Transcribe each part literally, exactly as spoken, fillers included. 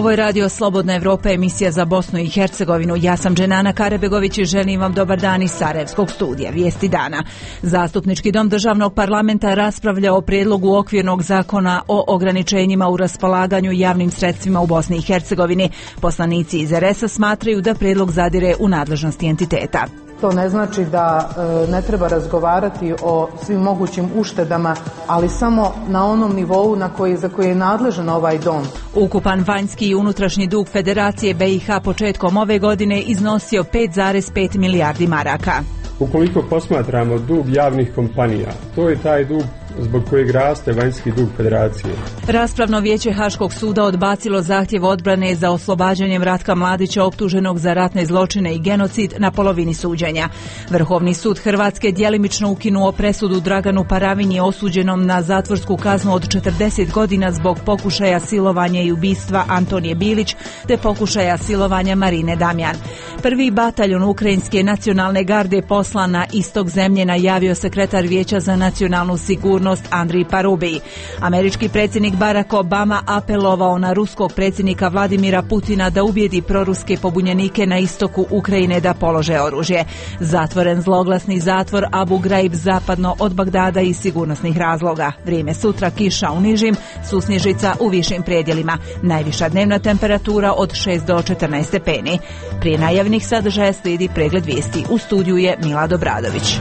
Ovo je Radio Slobodna Evropa, emisija za Bosnu i Hercegovinu. Ja sam Dženana Karebegović i želim vam dobar dan iz Sarajevskog studija. Vijesti dana. Zastupnički dom državnog parlamenta raspravlja o prijedlogu okvirnog zakona o ograničenjima u raspolaganju javnim sredstvima u Bosni i Hercegovini. Poslanici iz er es a smatraju da prijedlog zadire u nadležnosti entiteta. To ne znači da e, ne treba razgovarati o svim mogućim uštedama, ali samo na onom nivou na koji, za koji je nadležan ovaj dom. Ukupan vanjski i unutrašnji dug Federacije be i ha početkom ove godine iznosio pet zarez pet milijardi maraka. Ukoliko posmatramo dug javnih kompanija, to je taj dug zbog kojeg raste vanjski dug Federacije. Raspravno vijeće Haškog suda odbacilo zahtjev odbrane za oslobađanjem Ratka Mladića optuženog za ratne zločine i genocid na polovini suđenja. Vrhovni sud Hrvatske djelimično ukinuo presudu Draganu Paravinji osuđenom na zatvorsku kaznu od četrdeset godina zbog pokušaja silovanja i ubistva Antonije Bilić te pokušaja silovanja Marine Damjan. Prvi bataljon Ukrajinske nacionalne garde poslan na istok zemlje najavio sekretar Vijeća za nacionalnu sigurnost Andrij Parubij. Američki predsjednik Barack Obama apelovao na ruskog predsjednika Vladimira Putina da ubijedi proruske pobunjenike na istoku Ukrajine da polože oružje. Zatvoren zloglasni zatvor Abu Ghraib zapadno od Bagdada iz sigurnosnih razloga. Vrijeme sutra kiša u nižim, susnježica u višim predjelima. Najviša dnevna temperatura od šest do četrnaest stepeni. Prije najavnih sadržaja slijedi pregled vijesti. U studiju je Milad Obradović.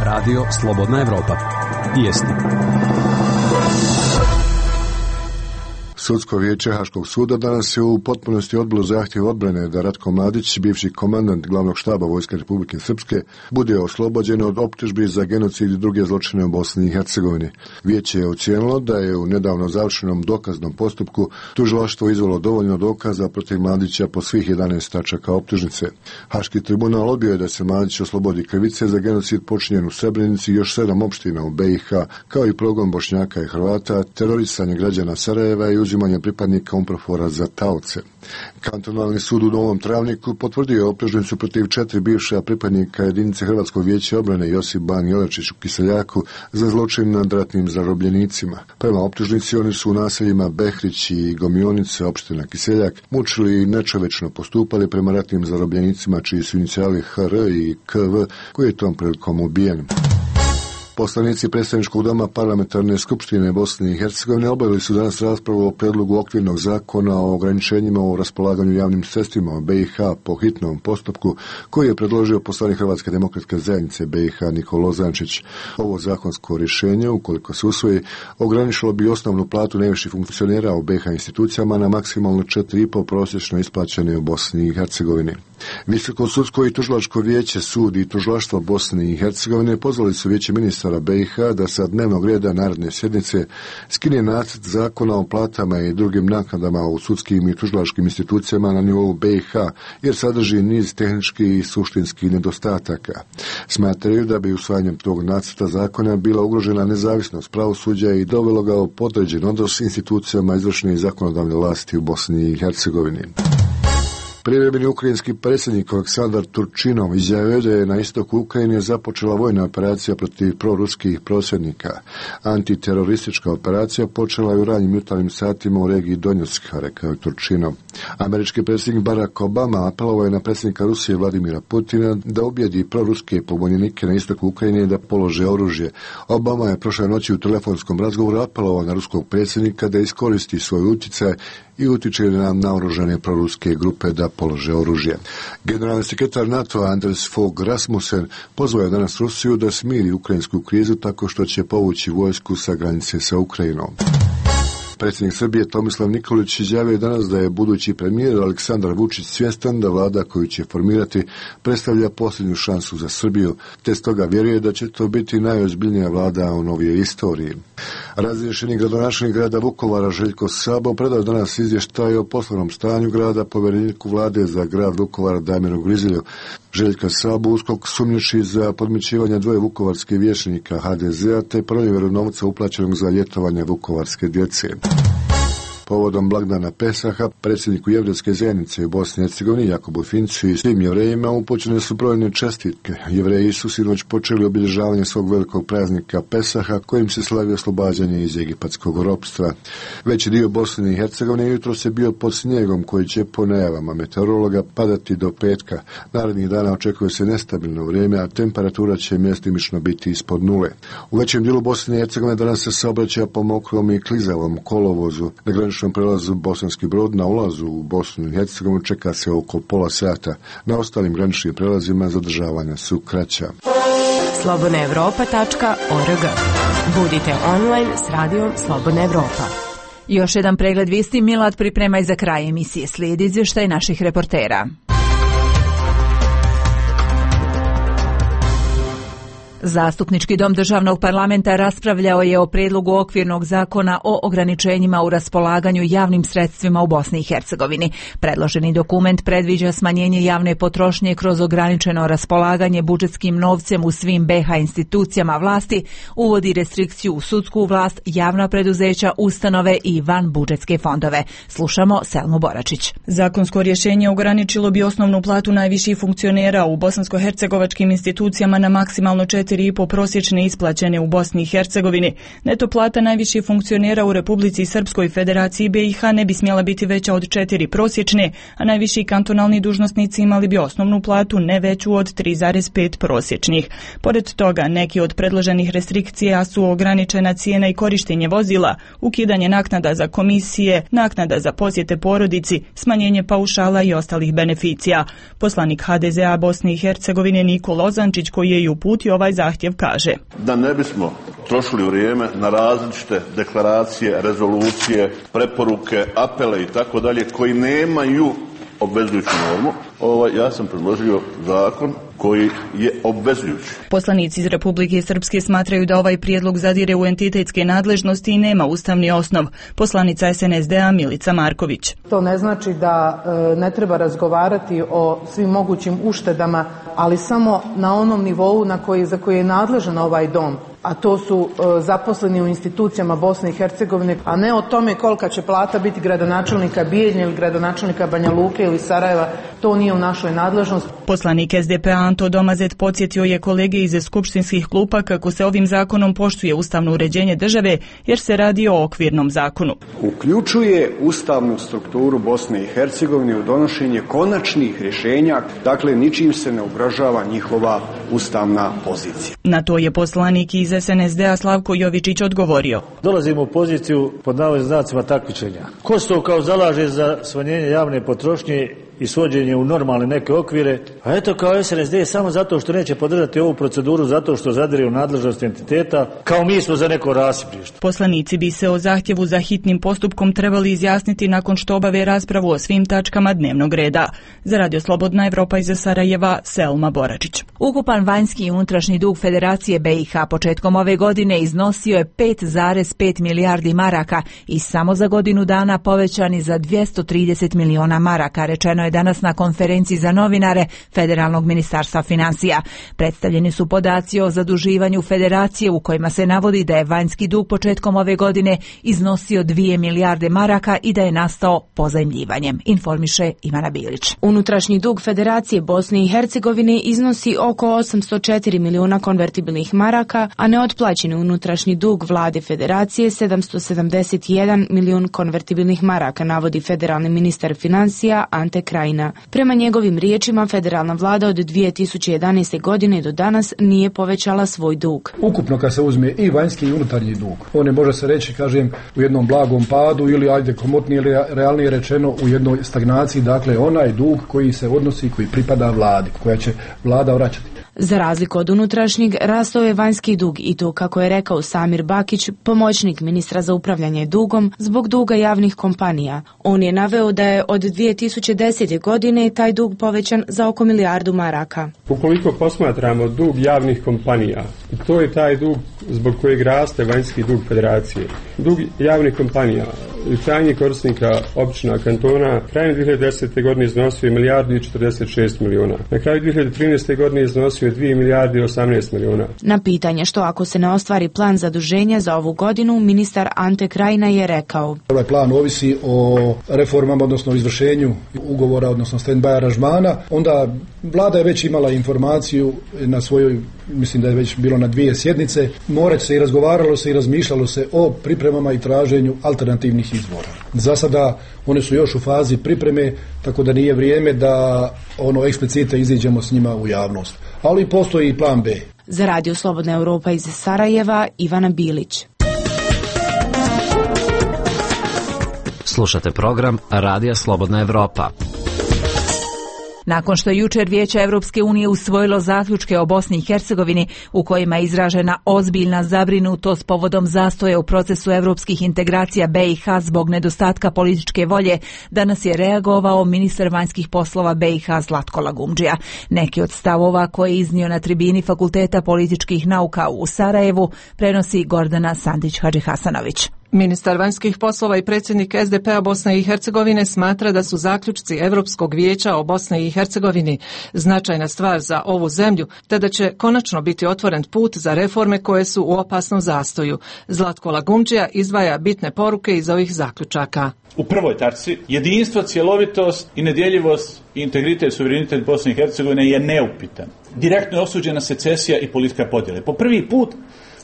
Radio Slobodna Evropa. Vijesti. Sudsko vijeće Haškog suda danas je u potpunosti odbilo zahtjev odbrane da Ratko Mladić, bivši komandant glavnog štaba Vojske Republike Srpske, bude oslobođen od optužbi za genocid i druge zločine u Bosni i Hercegovini. Vijeće je ocijenilo da je u nedavno završenom dokaznom postupku tužilaštvo izvelo dovoljno dokaza protiv Mladića po svih jedanaest tačaka optužnice. Haški tribunal odbio je da se Mladić oslobodi krivice za genocid počinjen u Srebrenici i još sedam opština u be i ha, kao i progon Bošnjaka i Hrvata, terorisanje građana Sarajeva i uzimanje pripadnika UNPROFOR-a za taoce. Kantonalni sud u Novom Travniku potvrdio je optužnicu protiv četiri bivša pripadnika jedinice Hrvatskog vijeća obrane Josip Ban Jelačić u Kiseljaku za zločin nad ratnim zarobljenicima. Prema optužnici oni su u naseljima Behrić i Gomionice, opština Kiseljak, mučili i nečovečno postupali prema ratnim zarobljenicima čiji su inicijali ha er i ka ve, koji je tom prilikom ubijen. Poslanici predstavničkog doma Parlamentarne skupštine Bosne i Hercegovine obavili su danas raspravu o prijedlogu okvirnog zakona o ograničenjima u raspolaganju javnim sredstvima u be i ha po hitnom postupku koji je predložio poslanik Hrvatske demokratske zajednice be i ha Nikola Ozančić. Ovo zakonsko rješenje, ukoliko se usvoji, ograničilo bi osnovnu platu najviših funkcionera u be i ha institucijama na maksimalno četiri i pol prosječno isplaćene u Bosni i Hercegovini. Visoko sudsko i tužilačko vijeće, sud i tužilaštvo Bosne i Hercegovine pozvali su vijeće ministara be i ha da sa dnevnog reda naredne sjednice skine nacrt zakona o platama i drugim naknadama u sudskim i tužilačkim institucijama na nivou be i ha, jer sadrži niz tehničkih i suštinskih nedostataka. Smatraju da bi usvajanjem tog nacrta zakona bila ugrožena nezavisnost pravosuđa i dovelo ga u podređen odnos s institucijama izvršne i zakonodavne vlasti u Bosni i Hercegovini. Privremeni ukrajinski predsjednik Aleksandar Turčinov izjavio da je na istoku Ukrajine započela vojna operacija protiv proruskih prosvjednika. Antiteroristička operacija počela je u ranjim jutarnjim satima u regiji Donjecka, rekao je Turčinov. Američki predsjednik Barack Obama apelovao je na predsjednika Rusije Vladimira Putina da ubijedi proruske pobunjenike na istoku Ukrajine da polože oružje. Obama je prošle noći u telefonskom razgovoru apelovao na ruskog predsjednika da iskoristi svoj utjecaj i utiče na naoružane proruske grupe da polože oružje. Generalni sekretar NATO-a Anders Fogh Rasmussen pozvao je danas Rusiju da smiri ukrajinsku krizu tako što će povući vojsku sa granice sa Ukrajinom. Predsjednik Srbije Tomislav Nikolić izjavio danas da je budući premijer Aleksandar Vučić svjestan da vlada koju će formirati predstavlja posljednju šansu za Srbiju, te stoga vjeruje da će to biti najozbiljnija vlada u novijoj istoriji. Razriješeni gradonačelnik grada Vukovara Željko Sabo predao danas izvještaj o poslovnom stanju grada povjereniku vlade za grad Vukovara Damiru Grizilju. Željka Sabo uskok sumnjiči za podmićivanje dvoje vukovarskih vijećnika ha de zea te pronevjeru novca uplaćenog za ljetovanje vukovarske djece. Povodom blagdana Pesaha, predsjedniku jevrejske zajednice u Bosni i Hercegovini Jakobu Fincu i svim jevrejima upućene su brojne čestitke. Jevreji su sinoć počeli obilježavanje svog velikog praznika Pesaha, kojim se slavi oslobađanje iz egipatskog ropstva. Veći dio Bosne i Hercegovine jutro se bio pod snijegom koji će po najavama meteorologa padati do petka. Narednih dana očekuje se nestabilno vrijeme, a temperatura će mjestimično biti ispod nule. U većem dijelu Bosne i Hercegovine danas se saobraća po mokrom i klizavom kolovozu. Na graničnom prelazu Bosanski Brod na ulazu u Bosnu i Hercegovinu čeka se oko pola sata. Na ostalim graničnim prelazima zadržavanja su kraća. slobodna evropa tačka org. Budite online s radijom Slobodna Evropa. Još jedan pregled vijesti Milad priprema i za kraj emisije. Slijedi izvještaj naših reportera. Zastupnički dom državnog parlamenta raspravljao je o prijedlogu okvirnog zakona o ograničenjima u raspolaganju javnim sredstvima u Bosni i Hercegovini. Predloženi dokument predviđa smanjenje javne potrošnje kroz ograničeno raspolaganje budžetskim novcem u svim be ha institucijama vlasti, uvodi restrikciju u sudsku vlast, javna preduzeća, ustanove i van budžetske fondove. Slušamo Selmu Boračić. Zakonsko rješenje ograničilo bi osnovnu platu najviših funkcionera u bosansko-hercegovačkim institucijama na maksimalno četiri i po prosječne isplaćene u Bosni i Hercegovini. Neto plata najviših funkcionera u Republici Srpskoj Federaciji be i ha ne bi smjela biti veća od četiri prosječne, a najviši kantonalni dužnosnici imali bi osnovnu platu ne veću od tri zarez pet prosječnih. Pored toga, neki od predloženih restrikcija su ograničena cijena i korištenje vozila, ukidanje naknada za komisije, naknada za posjete porodici, smanjenje paušala i ostalih beneficija. Poslanik ha de ze a Bosne i Hercegovine Niko Lozančić, koji je i uputio ovaj zahtjev, kaže: Da ne bismo trošili vrijeme na različite deklaracije, rezolucije, preporuke, apele i tako dalje koji nemaju obvezujuću normu, ovaj, ja sam predložio zakon koji je obvezujući. Poslanici iz Republike Srpske smatraju da ovaj prijedlog zadire u entitetske nadležnosti i nema ustavni osnov. Poslanica es en es de a Milica Marković. To ne znači da e, ne treba razgovarati o svim mogućim uštedama, ali samo na onom nivou na koji, za koji je nadležan ovaj dom, a to su e, zaposleni u institucijama Bosne i Hercegovine, a ne o tome kolika će plata biti gradonačelnika Bijeljne ili gradonačelnika Banja Luke ili Sarajeva. To nije u našoj nadležnosti. Poslanik es de pe a Anto Domazet podsjetio je kolege iz skupštinskih klupa kako se ovim zakonom poštuje ustavno uređenje države, jer se radi o okvirnom zakonu. Uključuje ustavnu strukturu Bosne i Hercegovine u donošenje konačnih rješenja, dakle ničim se ne ugrožava njihova ustavna pozicija. Na to je poslanik iz es en es de a Slavko Jovičić odgovorio: Dolazimo u poziciju pod navodnim znacima takmičenja. Kosovo kao zalaže za smanjenje javne potrošnje i svođenje u normalne neke okvire, a eto kao es en es de samo zato što neće podržati ovu proceduru, zato što zadire u nadležnost entiteta, kao mi smo za neko rasiprište. Poslanici bi se o zahtjevu za hitnim postupkom trebali izjasniti nakon što obave raspravu o svim tačkama dnevnog reda. Za Radio Slobodna Evropa iz Sarajeva, Selma Boračić. Ukupan vanjski i unutrašnji dug Federacije be i ha početkom ove godine iznosio je pet zarez pet milijardi maraka i samo za godinu dana povećani za dvjesto trideset miliona maraka, rečeno je danas na konferenciji za novinare Federalnog ministarstva financija. Predstavljeni su podaci o zaduživanju Federacije u kojima se navodi da je vanjski dug početkom ove godine iznosio dvije milijarde maraka i da je nastao pozajmljivanjem, informiše Ivana Bilić. Unutrašnji dug Federacije Bosne i Hercegovine iznosi oko osamsto četiri miliona konvertibilnih maraka, a neotplaćeni unutrašnji dug vlade Federacije sedamsto sedamdeset jedan milion konvertibilnih maraka, navodi federalni ministar financija Ante Krajina. Prema njegovim riječima, federalna vlada od dvije tisuće jedanaeste godine do danas nije povećala svoj dug. Ukupno kad se uzme i vanjski i unutarnji dug, on je, može se reći, kažem, u jednom blagom padu ili, ajde, komotnije ili realnije rečeno, u jednoj stagnaciji, dakle onaj dug koji se odnosi, koji pripada vladi, koja će vlada vraćati. Za razliku od unutrašnjeg, rastao je vanjski dug i to, kako je rekao Samir Bakić, pomoćnik ministra za upravljanje dugom, zbog duga javnih kompanija. On je naveo da je od dvije tisuće desete godine taj dug povećan za oko milijardu maraka. Ukoliko posmatramo dug javnih kompanija, to je taj dug zbog kojeg raste vanjski dug Federacije. Dug javnih kompanija krajnjih korisnika općina kantona krajem dvije hiljade desete. godine iznosio je milijardu i četrdeset šest miliona. Na kraju dvije hiljade trinaeste. godine iznosio je dvije milijarde i osamnaest miliona. Na pitanje što ako se ne ostvari plan zaduženja za ovu godinu, ministar Ante Krajina je rekao: Ovaj plan ovisi o reformama, odnosno izvršenju ugovora, odnosno stand-by aranžmana. Onda vlada je već imala informaciju na svojoj, mislim da je već bilo na dvije sjednice, morat se i razgovaralo se i razmišljalo se o pripremama i traženju alternativnih izvora. Za sada one su još u fazi pripreme, tako da nije vrijeme da ono eksplicite iziđemo s njima u javnost. Ali postoji i plan B. Za Radio Slobodna Europa iz Sarajeva, Ivana Bilić. Slušate program Radija Slobodna Europa. Nakon što je jučer Vijeće Europske unije usvojilo zaključke o Bosni i Hercegovini u kojima je izražena ozbiljna zabrinutost povodom zastoja u procesu europskih integracija B i H zbog nedostatka političke volje, danas je reagovao ministar vanjskih poslova B i H Zlatko Lagumdžija. Neki od stavova koje je iznio na tribini Fakulteta političkih nauka u Sarajevu prenosi Gordana Sandić-Hadžihasanović. Ministar vanjskih poslova i predsjednik S D P-a Bosne i Hercegovine smatra da su zaključci Europskog vijeća o Bosni i Hercegovini značajna stvar za ovu zemlju, te da će konačno biti otvoren put za reforme koje su u opasnom zastoju. Zlatko Lagumdžija izdvaja bitne poruke iz ovih zaključaka. U prvoj tačci jedinstvo, cjelovitost i nedjeljivost i integritet, suverenitet Bosne i Hercegovine je neupitan. Direktno je osuđena secesija i politika podjele. Po prvi put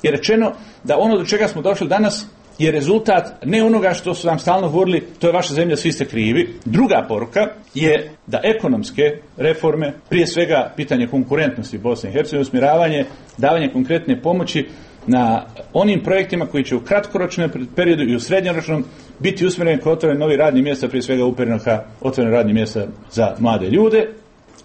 je rečeno da ono do čega smo došli danas je rezultat ne onoga što su nam stalno govorili, to je vaša zemlja, svi ste krivi. Druga poruka je da ekonomske reforme, prije svega pitanje konkurentnosti Bosne i Hercegovine, usmjeravanje, davanje konkretne pomoći na onim projektima koji će u kratkoročnom periodu i u srednjoročnom biti usmjereni kao otvorene novi radni mjesta, prije svega upereno ka otvorene radni mjesta za mlade ljude.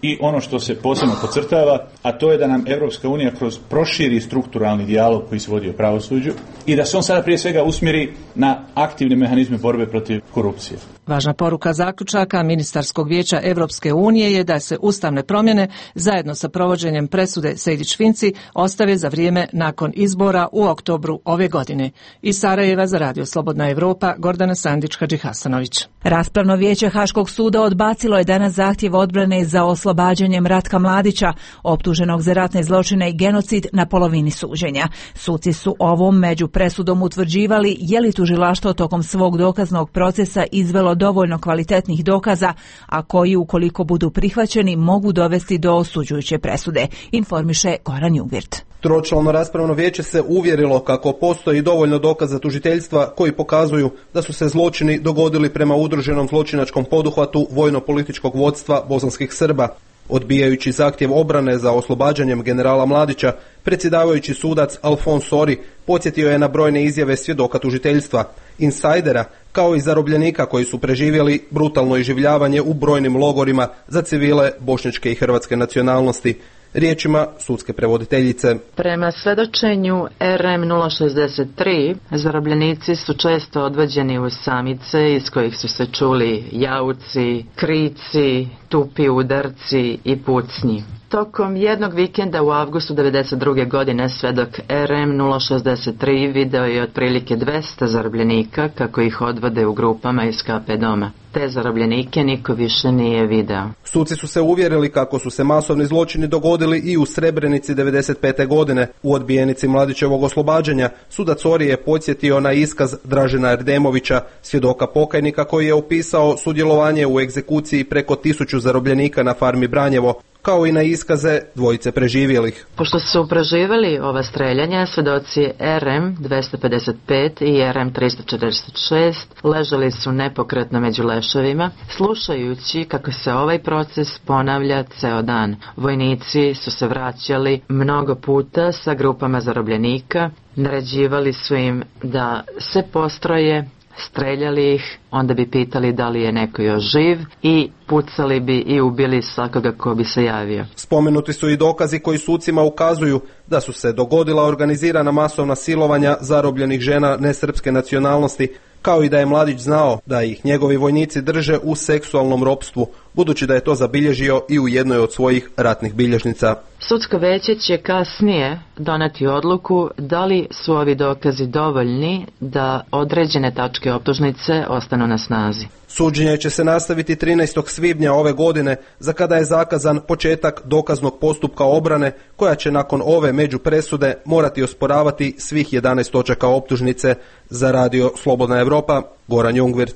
I ono što se posebno podcrtava, a to je da nam Europska unija kroz proširi strukturalni dijalog koji se vodi o pravosuđu i da se on sada prije svega usmjeri na aktivne mehanizme borbe protiv korupcije. Važna poruka zaključaka Ministarskog vijeća Europske unije je da se ustavne promjene zajedno sa provođenjem presude Sejdić-Finci ostave za vrijeme nakon izbora u oktobru ove godine. Iz Sarajeva za Radio Slobodna Europa, Gordana Sandić-Hadžihasanović. Raspravno vijeće Haškog suda odbacilo je danas zahtjev odbrane za oslobađanjem Ratka Mladića, optuženog za ratne zločine i genocid na polovini suđenja. Suci su ovom među presudom utvrđivali je li tužilaštvo tokom svog dokaznog procesa izvelo dovoljno kvalitetnih dokaza, a koji ukoliko budu prihvaćeni mogu dovesti do osuđujuće presude, informiše Goran Jugvirt. Tročlano raspravno vijeće se uvjerilo kako postoji dovoljno dokaza tužiteljstva koji pokazuju da su se zločini dogodili prema udruženom zločinačkom poduhvatu vojno-političkog vodstva bosanskih Srba. Odbijajući zahtjev obrane za oslobađanjem generala Mladića, predsjedavajući sudac Alfons Sori podsjetio je na brojne izjave svjedoka tužiteljstva, insajdera, kao i zarobljenika koji su preživjeli brutalno iživljavanje u brojnim logorima za civile bošnjačke i hrvatske nacionalnosti. Riječima sudske prevoditeljice. Prema svedočenju R M nula šezdeset tri, zarobljenici su često odvođeni u samice iz kojih su se čuli jauci, krici, tupi udarci i pucnji. Tokom jednog vikenda u avgustu devedeset druge. godine svedok R M nula šezdeset tri video je otprilike dvesta zarobljenika kako ih odvode u grupama iz K P doma. Te zarobljenike niko više nije video. Suci su se uvjerili kako su se masovni zločini dogodili i u Srebrenici devedeset pete. godine. U odbijenici Mladićevog oslobađanja sudac Sori je podsjetio na iskaz Dražena Erdemovića, svjedoka pokajnika koji je opisao sudjelovanje u egzekuciji preko tisuću zarobljenika na farmi Branjevo, kao i na iskaze dvojice preživjelih. Pošto su preživjeli ova streljanja, svjedoci R M dvesta pedeset pet i R M trista četrdeset šest ležali su nepokretno među leševima, slušajući kako se ovaj proces ponavlja ceo dan. Vojnici su se vraćali mnogo puta sa grupama zarobljenika, naređivali su im da se postroje, streljali ih, onda bi pitali da li je neko još živ i pucali bi i ubili svakoga ko bi se javio. Spomenuti su i dokazi koji sucima ukazuju da su se dogodila organizirana masovna silovanja zarobljenih žena nesrpske nacionalnosti, kao i da je Mladić znao da ih njegovi vojnici drže u seksualnom ropstvu, budući da je to zabilježio i u jednoj od svojih ratnih bilježnica. Sudsko veće će kasnije doneti odluku da li su ovi dokazi dovoljni da određene tačke optužnice ostanu na snazi. Suđenje će se nastaviti trinaestog svibnja ove godine, za kada je zakazan početak dokaznog postupka obrane, koja će nakon ove međupresude morati osporavati svih jedanaest točaka optužnice. Za Radio Slobodna Evropa, Goran Jungwirth.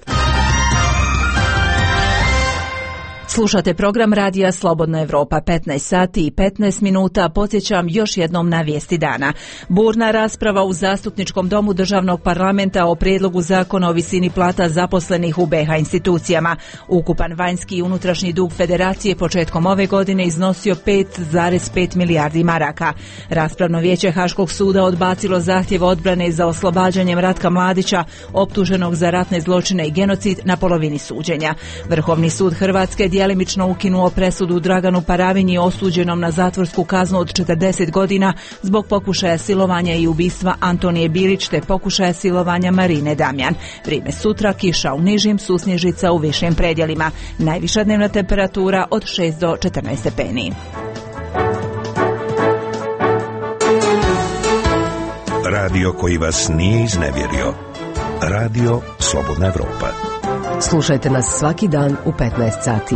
Slušate program Radija Slobodna Evropa, petnaest sati i petnaest minuta. Podsjećam još jednom na vijesti dana. Burna rasprava u Zastupničkom domu državnog parlamenta o prijedlogu zakona o visini plata zaposlenih u be ha institucijama. Ukupan vanjski i unutrašnji dug federacije početkom ove godine iznosio pet zarez pet milijardi maraka. Raspravno vijeće Haškog suda odbacilo zahtjev odbrane za oslobađanjem Ratka Mladića, optuženog za ratne zločine i genocid, na polovini suđenja. Vrhovni sud Hrvatske djelimično ukinuo presudu Draganu Paravinji, osuđenom na zatvorsku kaznu od četrdeset godina zbog pokušaja silovanja i ubistva Antonije Bilić te pokušaja silovanja Marine Damjan. Vrijeme sutra, kiša u nižim, susnježica u višim predjelima. Najviša dnevna temperatura od šest do četrnaest stepeni. Radio koji vas nije iznevjerio. Radio Slobodna Evropa. Slušajte nas svaki dan u petnaest sati.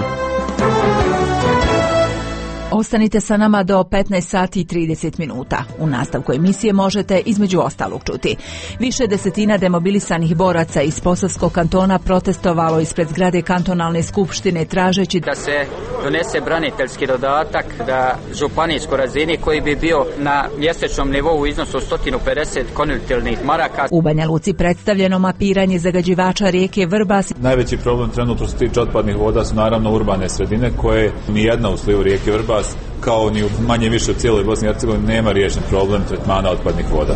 Ostanite sa nama do petnaest sati i trideset minuta. U nastavku emisije možete između ostalog čuti: više desetina demobilisanih boraca iz Posavskog kantona protestovalo ispred zgrade kantonalne skupštine tražeći da se donese braniteljski dodatak da županijskoj razini koji bi bio na mjesečnom nivou u iznosu sto pedeset konvertibilnih maraka. U Banja Luci predstavljeno mapiranje zagađivača rijeke Vrbas. Najveći problem trenutno što se tiče otpadnih voda su naravno urbane sredine koje ni jedna u slivu rijeke Vrbas, kao ni u manje više u cijeloj Bosni i Hercegovini, nema riješen problem tretmana otpadnih voda.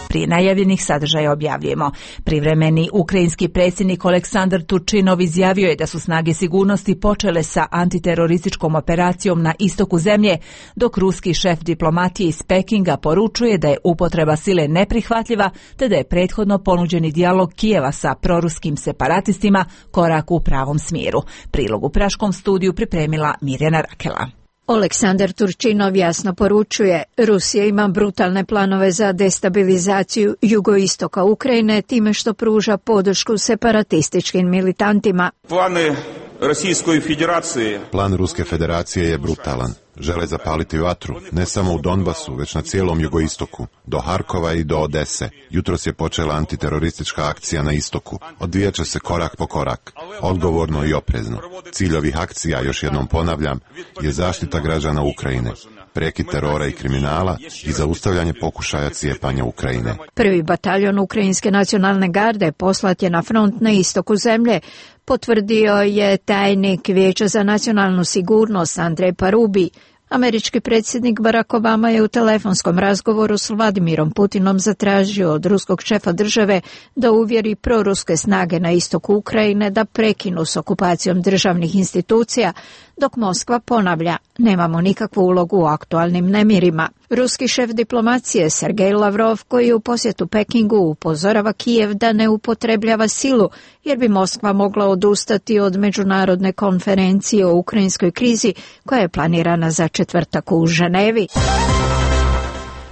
Prije najavljenih sadržaja objavljujemo. Privremeni ukrajinski predsjednik Oleksandar Turčinov izjavio je da su snage sigurnosti počele sa antiterorističkom operacijom na istoku zemlje, dok ruski šef diplomatije iz Pekinga poručuje da je upotreba sile neprihvatljiva, te da je prethodno ponuđeni dijalog Kijeva sa proruskim separatistima korak u pravom smjeru. Prilog u Praškom studiju pripremila Mirjana Rakela. Oleksandar Turčinov jasno poručuje: Rusija ima brutalne planove za destabilizaciju jugoistoka Ukrajine time što pruža podršku separatističkim militantima. Plane Rusijskoj federacije. Plan Ruske federacije je brutalan. Žele zapaliti vatru, ne samo u Donbasu, već na cijelom jugoistoku, do Harkova i do Odese. Jutros je počela antiteroristička akcija na istoku. Odvijat će se korak po korak, odgovorno i oprezno. Cilj ovih akcija, još jednom ponavljam, je zaštita građana Ukrajine, prekid terora i kriminala i zaustavljanje pokušaja cijepanja Ukrajine. Prvi bataljon Ukrajinske nacionalne garde poslat je na front na istoku zemlje, potvrdio je tajnik Vijeća za nacionalnu sigurnost Andrej Parubi. Američki predsjednik Barack Obama je u telefonskom razgovoru s Vladimirom Putinom zatražio od ruskog šefa države da uvjeri proruske snage na istoku Ukrajine da prekinu s okupacijom državnih institucija, dok Moskva ponavlja: nemamo nikakvu ulogu u aktualnim nemirima. Ruski šef diplomacije Sergej Lavrov, koji je u posjetu Pekingu, upozorava Kijev da ne upotrebljava silu, jer bi Moskva mogla odustati od međunarodne konferencije o ukrajinskoj krizi koja je planirana za četvrtak u Ženevi.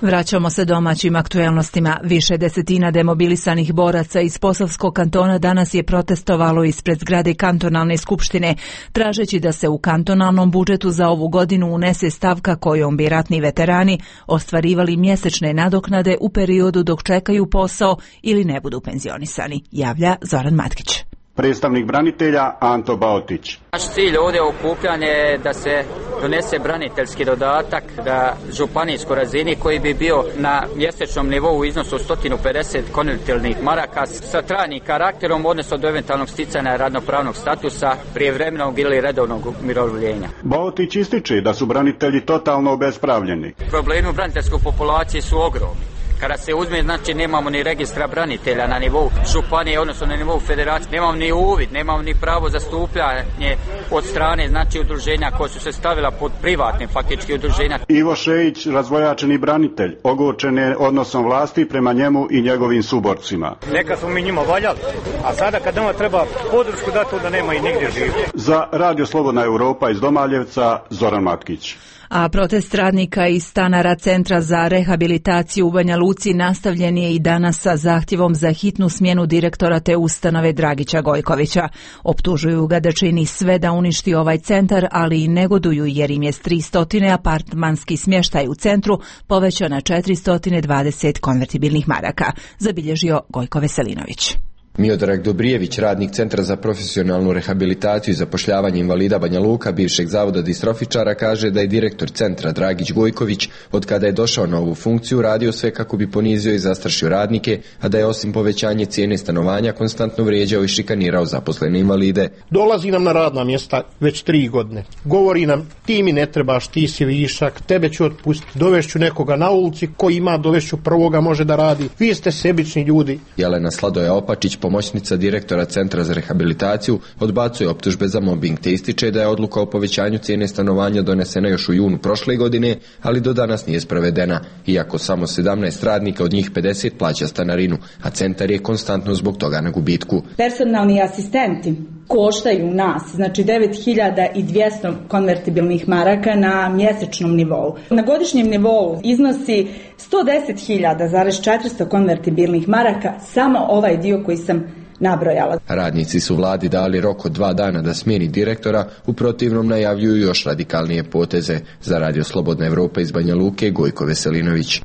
Vraćamo se domaćim aktuelnostima. Više desetina demobilisanih boraca iz Posavskog kantona danas je protestovalo ispred zgrade kantonalne skupštine, tražeći da se u kantonalnom budžetu za ovu godinu unese stavka kojom bi ratni veterani ostvarivali mjesečne nadoknade u periodu dok čekaju posao ili ne budu penzionisani, javlja Zoran Matkić. Predstavnik branitelja Anto Baotić. Naš cilj ovdje okupljanje je da se donese braniteljski dodatak da županijskoj razini koji bi bio na mjesečnom nivou u iznosu sto pedeset konvertibilnih maraka sa trajnim karakterom, odnosno do eventualnog sticanja radnopravnog statusa, prijevremenog ili redovnog umirovljenja. Baotić ističe da su branitelji totalno obespravljeni. Problemi u braniteljskoj populaciji su ogromni. Kada se uzme, znači nemamo ni registra branitelja na nivou županije, odnosno na nivou federacije, nemamo ni uvid, nemamo ni pravo zastupljanje od strane, znači udruženja koja su se stavila pod privatne faktički udruženja. Ivo Šejić, razvojačeni branitelj, ogorčen je odnosom vlasti prema njemu i njegovim suborcima. Neka smo mi njima valjali, a sada kad nama treba podršku dati, onda nema i nigdje živi. Za Radio Slobodna Europa iz Domaljevca, Zoran Matkić. A protest radnika iz stanara Centra za rehabilitaciju u Banja Luci nastavljen je i danas sa zahtjevom za hitnu smjenu direktora te ustanove Dragića Gojkovića. Optužuju ga da čini sve da uništi ovaj centar, ali i negoduju jer im je s tristo apartmanski smještaj u centru povećao na četiristo dvadeset konvertibilnih maraka, zabilježio Gojko Veselinović. Miodrag Dobrijević, radnik Centra za profesionalnu rehabilitaciju i zapošljavanje invalida Banja Luka, bivšeg zavoda distrofičara, kaže da je direktor centra Dragić Gojković, od kada je došao na ovu funkciju, radio sve kako bi ponizio i zastrašio radnike, a da je osim povećanje cijene stanovanja konstantno vrijeđao i šikanirao zaposlene invalide. Dolazi nam na radna mjesta već tri godine. Govori nam, ti mi ne trebaš, ti si višak, tebe ću otpustiti, dovešću nekoga na ulici, ko ima dovešću prvoga može da radi. Vi ste sebični ljudi. Jelena Sladoja Opačić, pomoćnica direktora Centra za rehabilitaciju, odbacuje optužbe za mobbing te ističe da je odluka o povećanju cijene stanovanja donesena još u junu prošle godine, ali do danas nije sprovedena, iako samo sedamnaest radnika od njih pedeset plaća stanarinu, a centar je konstantno zbog toga na gubitku. Personalni asistenti koštaju nas, znači devet hiljada dvjesto konvertibilnih maraka na mjesečnom nivou. Na godišnjem nivou iznosi sto deset hiljada četiristo konvertibilnih maraka, samo ovaj dio koji sam nabrojala. Radnici su vladi dali rok od dva dana da smijeni direktora, u protivnom najavljuju još radikalnije poteze. Za Radio Slobodna Evropa iz Banja Luke, Gojko Veselinović.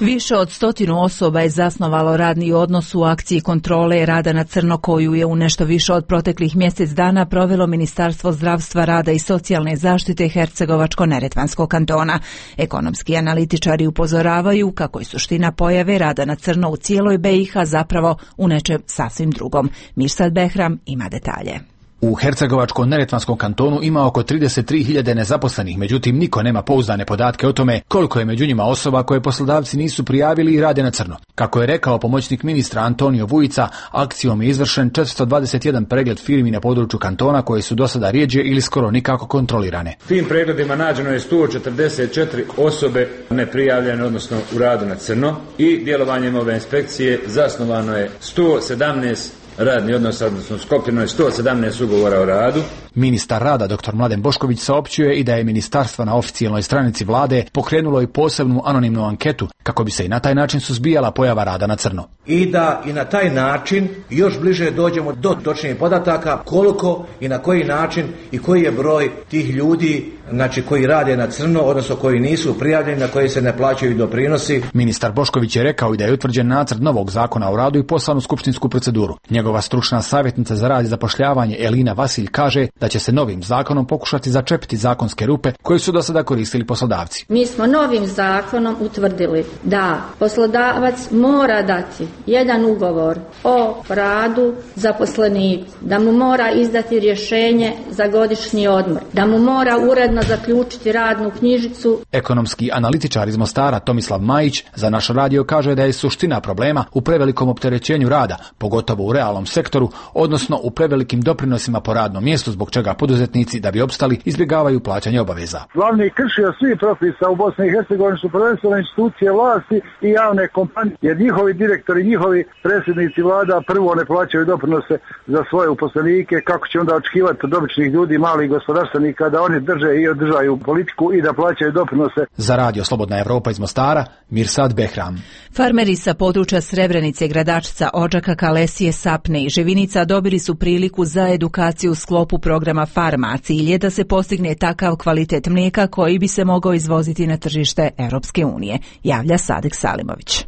Više od stotinu osoba je zasnovalo radni odnos u akciji kontrole rada na crno koju je u nešto više od proteklih mjesec dana provelo Ministarstvo zdravstva, rada i socijalne zaštite Hercegovačko-neretvanskog kantona. Ekonomski analitičari upozoravaju kako je suština pojave rada na crno u cijeloj B i H zapravo u nečem sasvim drugom. Mirsad Behram ima detalje. U Hercegovačko-neretvanskom kantonu ima oko trideset tri hiljade nezaposlenih, međutim niko nema pouzdane podatke o tome koliko je među njima osoba koje poslodavci nisu prijavili i rade na crno. Kako je rekao pomoćnik ministra Antonio Vujica, akcijom je izvršen četiristo dvadeset jedan pregled firmi na području kantona koje su do sada rijeđe ili skoro nikako kontrolirane. Tim pregledima nađeno je sto četrdeset četiri osobe neprijavljene, odnosno u radu na crno, i djelovanjem ove inspekcije zasnovano je sto sedamnaest radni odnos, odnosno sklopljeno je sto sedamnaest ugovora o radu. Ministar rada dr. Mladen Bošković saopćuje i da je ministarstvo na oficijalnoj stranici vlade pokrenulo i posebnu anonimnu anketu kako bi se i na taj način suzbijala pojava rada na crno. I da i na taj način još bliže dođemo do točnijih podataka koliko i na koji način i koji je broj tih ljudi, znači koji rade na crno, odnosno koji nisu prijavljeni, na koji se ne plaćaju doprinosi. Ministar Bošković je rekao i da je utvrđen nacrt novog zakona o radu i poslan u skupštinsku proceduru. Njegova stručna savjetnica za rad i zapošljavanje Elina Vasilj kaže da će se novim zakonom pokušati začepiti zakonske rupe koje su do sada koristili poslodavci. Mi smo novim zakonom utvrdili da poslodavac mora dati jedan ugovor o radu zaposleniku, da mu mora izdati rješenje za godišnji odmor, da mu mora uredno zaključiti radnu knjižicu. Ekonomski analitičar iz Mostara Tomislav Majić za naš radio kaže da je suština problema u prevelikom opterećenju rada, pogotovo u realnom sektoru, odnosno u prevelikim doprinosima po radnom mjestu, zbog čega poduzetnici da bi opstali izbjegavaju plaćanje obaveza. Glavni kršio svih propisa u Bosni i Hercegovini su prvenstveno institucije vlasti i javne kompanije, jer njihovi direktori, njihovi predsjednici vlada prvo ne plaćaju doprinose za svoje uposlenike, kako će onda očekivati od običnih ljudi, malih gospodarstvenika da oni drže i održaju politiku i da plaćaju doprinose. Za Radio Slobodna Evropa iz Mostara, Mirsad Behram. Farmeri sa područja Srebrenice, Gradačca, Odžaka, Kalesije, Sapne i Živinica dobili su priliku za edukaciju u sklopu programa Farma, a cilj je da se postigne takav kvalitet mlijeka koji bi se mogao izvoziti na tržište Europske unije, javlja Sadek Salimović.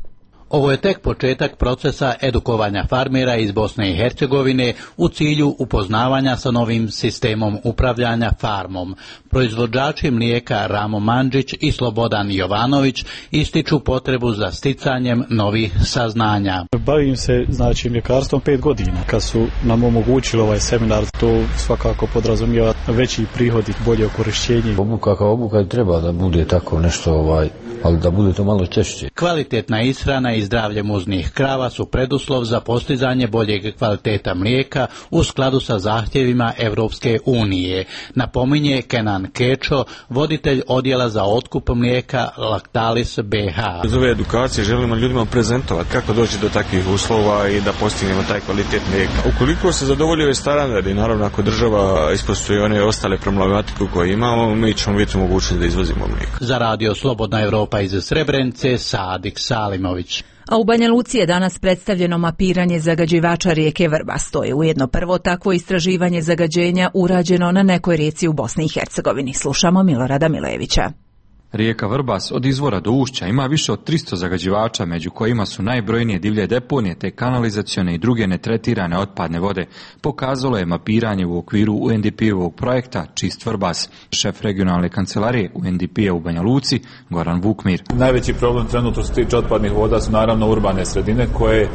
Ovo je tek početak procesa edukovanja farmera iz Bosne i Hercegovine u cilju upoznavanja sa novim sistemom upravljanja farmom. Proizvođači mlijeka Ramo Mandžić i Slobodan Jovanović ističu potrebu za sticanjem novih saznanja. Bavim se znači mljekarstvom pet godina. Kad su nam omogućili ovaj seminar, to svakako podrazumijeva veći prihod i bolje korišćenje. Obuka kao obuka treba da bude tako nešto, ovaj, ali da bude to malo češće. Kvalitetna ishrana i zdravlje muznih krava su preduslov za postizanje boljeg kvaliteta mlijeka u skladu sa zahtjevima Evropske unije, napominje Kenan Kečo, voditelj odjela za otkup mlijeka Lactalis B H. Iz ove edukacije želimo ljudima prezentovati kako doći do takvih uslova i da postignemo taj kvalitet mlijeka. Ukoliko se zadovolji ove standardi, naravno ako država ispoštuje one ostale problematiku koje imamo, mi ćemo biti mogućni da izvozimo mlijeka. Za radio Slobodna Evropa iz Srebrenice, Sadik Salimović. A u Banja Luci je danas predstavljeno mapiranje zagađivača rijeke Vrbas. To je ujedno prvo takvo istraživanje zagađenja urađeno na nekoj rijeci u Bosni i Hercegovini. Slušamo Milorada Milejevića. Rijeka Vrbas od izvora do ušća ima više od tristo zagađivača, među kojima su najbrojnije divlje deponije te kanalizacione i druge netretirane otpadne vode, pokazalo je mapiranje u okviru U N D P-ovog projekta Čist Vrbas. Šef regionalne kancelarije U N D P-a u Banja Luci, Goran Vukmir. Najveći problem trenutno što se tiče otpadnih voda su naravno urbane sredine koje,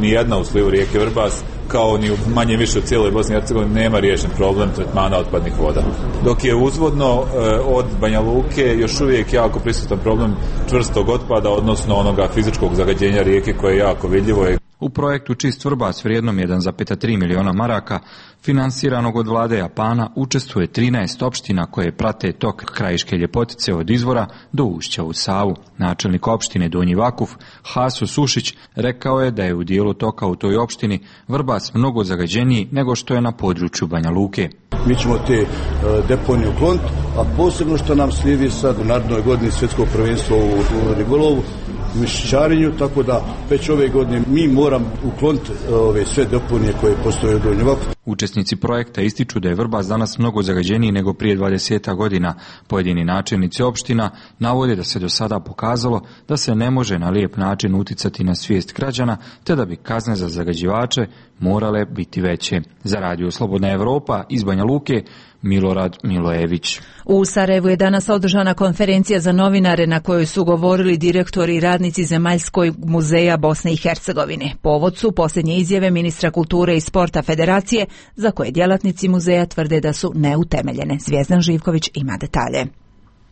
ni jedna u slivu rijeke Vrbas, kao ni u manje više u cijeloj Bosni i Hercegovini nema riješen problem tretmana otpadnih voda. Dok je uzvodno e, od Banja Luke još uvijek jako prisutan problem čvrstog otpada, odnosno onoga fizičkog zagađenja rijeke koje je jako vidljivo. U projektu Čist Vrbas vrijednom jedan zarez tri miliona maraka, finansiranog od vlade Japana, učestvuje trinaest opština koje prate tok krajiške ljepotice od izvora do ušća u Savu. Načelnik opštine Donji Vakuf, Haso Sušić, rekao je da je u dijelu toka u toj opštini Vrbas mnogo zagađeniji nego što je na području Banja Luke. Mi ćemo te uh, deponije ukloniti, a posebno što nam slijedi sad u narednoj godini svjetsko prvenstvo u, u ribolovu, u mišićarenju, tako da već ove godine mi moram ukloniti ove sve deponije koje postoje u Donjem Vakfu. Učesnici projekta ističu da je Vrbas danas mnogo zagađeniji nego prije dvadeset godina. Pojedini načelnici opština navode da se do sada pokazalo da se ne može na lijep način uticati na svijest građana, te da bi kazne za zagađivače morale biti veće. Za radio Slobodna Evropa iz Banja Luke, Milorad Milojević. U Sarajevu je danas održana konferencija za novinare na kojoj su govorili direktori i radnici Zemaljskog muzeja Bosne i Hercegovine. Povod su posljednje izjave ministra kulture i sporta federacije, za koje djelatnici muzeja tvrde da su neutemeljene. Zvijezdan Živković ima detalje.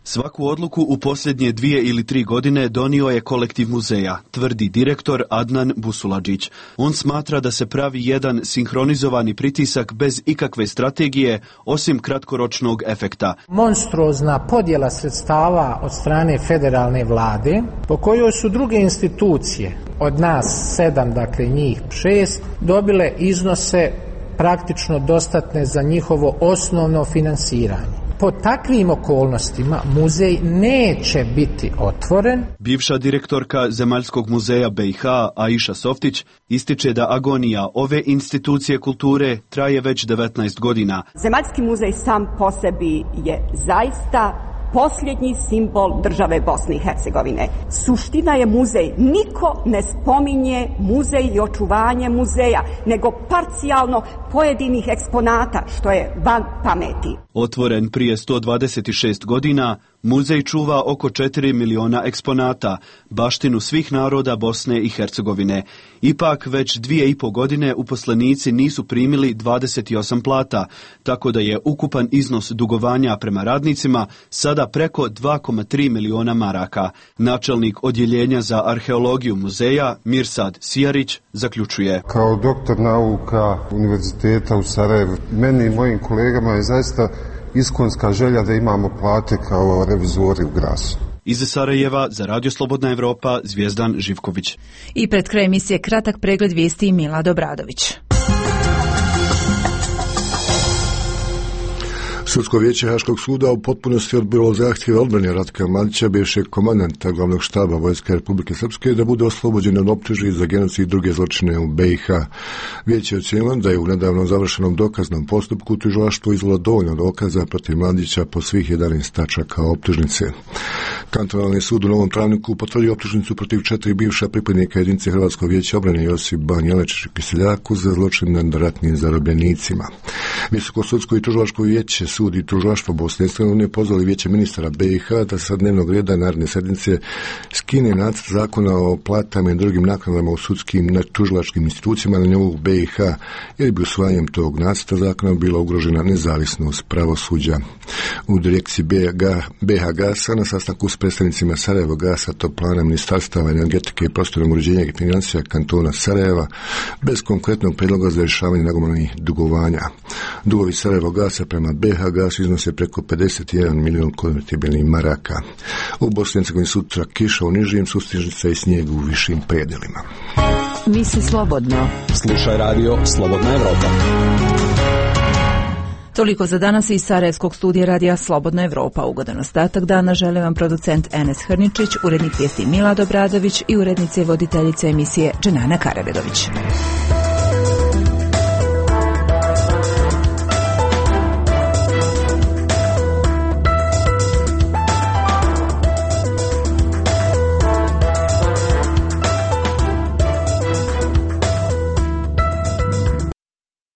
Svaku odluku u posljednje dvije ili tri godine donio je kolektiv muzeja, tvrdi direktor Adnan Busuladžić. On smatra da se pravi jedan sinhronizovani pritisak bez ikakve strategije, osim kratkoročnog efekta. Monstruozna podjela sredstava od strane federalne vlade, po kojoj su druge institucije, od nas sedam, dakle njih šest, dobile iznose praktično dostatne za njihovo osnovno finansiranje. Po takvim okolnostima muzej neće biti otvoren. Bivša direktorka Zemaljskog muzeja B i H Aisha Softić ističe da agonija ove institucije kulture traje već devetnaest godina. Zemaljski muzej sam po sebi je zaista posljednji simbol države Bosne i Hercegovine. Suština je muzej. Niko ne spominje muzej i očuvanje muzeja, nego parcijalno pojedinih eksponata, što je van pameti. Otvoren prije sto dvadeset šest godina, muzej čuva oko četiri miliona eksponata, baštinu svih naroda Bosne i Hercegovine. Ipak već dvije i po godine uposlenici nisu primili dvadeset osam plata, tako da je ukupan iznos dugovanja prema radnicima sada preko dva zarez tri miliona maraka. Načelnik odjeljenja za arheologiju muzeja Mirsad Sijarić zaključuje. Kao doktor nauka Univerziteta u Sarajevu, meni i mojim kolegama je zaista iskonska želja da imamo plate kao revizori u Grasu. Iz Sarajeva za Radio Slobodna Evropa, Zvijezdan Živković. I pred kraj emisije kratak pregled vijesti Milad Obradović. Sudsko vijeće Haškog suda u potpunosti odbilo zahtjeve odbrane Ratka Mladića, bivšeg komandanta glavnog štaba Vojske Republike Srpske, da bude oslobođen od optužbi za genocid i druge zločine u B i H. Vijeće je ocijenilo da je u nedavno završenom dokaznom postupku tužilaštvo izvelo dovoljno dokaza protiv Mladića po svih jedanaest tačaka optužnice. Kantonalni sud u Novom Travniku potvrdio optužnicu protiv četiri bivša pripadnika jedinice Hrvatskog vijeća obrane Josip Banjelečić i Kiseljaku za zločin nad ratnim zarobljenicima. Visoko sudsko i tužilačko vijeće, sud i tužilaštvo Bosne i Hercegovine pozvali vijeće ministara B i H da sa dnevnog reda naredne sednice skine nacrt zakona o platama i drugim naknadama u sudskim tužilačkim institucijama na nivou B i H, jer bi usvajanjem tog nacrta zakona bila ugrožena nezavisnost pravosuđa. U direkciji B H Gasa na sastanku s predstavnicima Sarajevo Gasa, Toplana, Ministarstava energetike i prostornog uređenja i financija kantona Sarajeva, bez konkretnog predloga za rješavanje nagomilanih dugovanja. Dugovi Sarajevo Gasa prema B H Gasu iznose preko pedeset jedan milijun konvertibilnih maraka. U Bosni i Hercegovini sutra kiša u nižim, sustižnica i snijeg u višim predelima. Misli slobodno. Slušaj radio Slobodna Evropa. Toliko za danas iz Sarajevskog studija radija Slobodna Evropa. Ugodan ostatak dana žele vam producent Enes Hrničić, urednik vijesti Milad Obradović i urednice i voditeljice emisije Dženana Karabedović.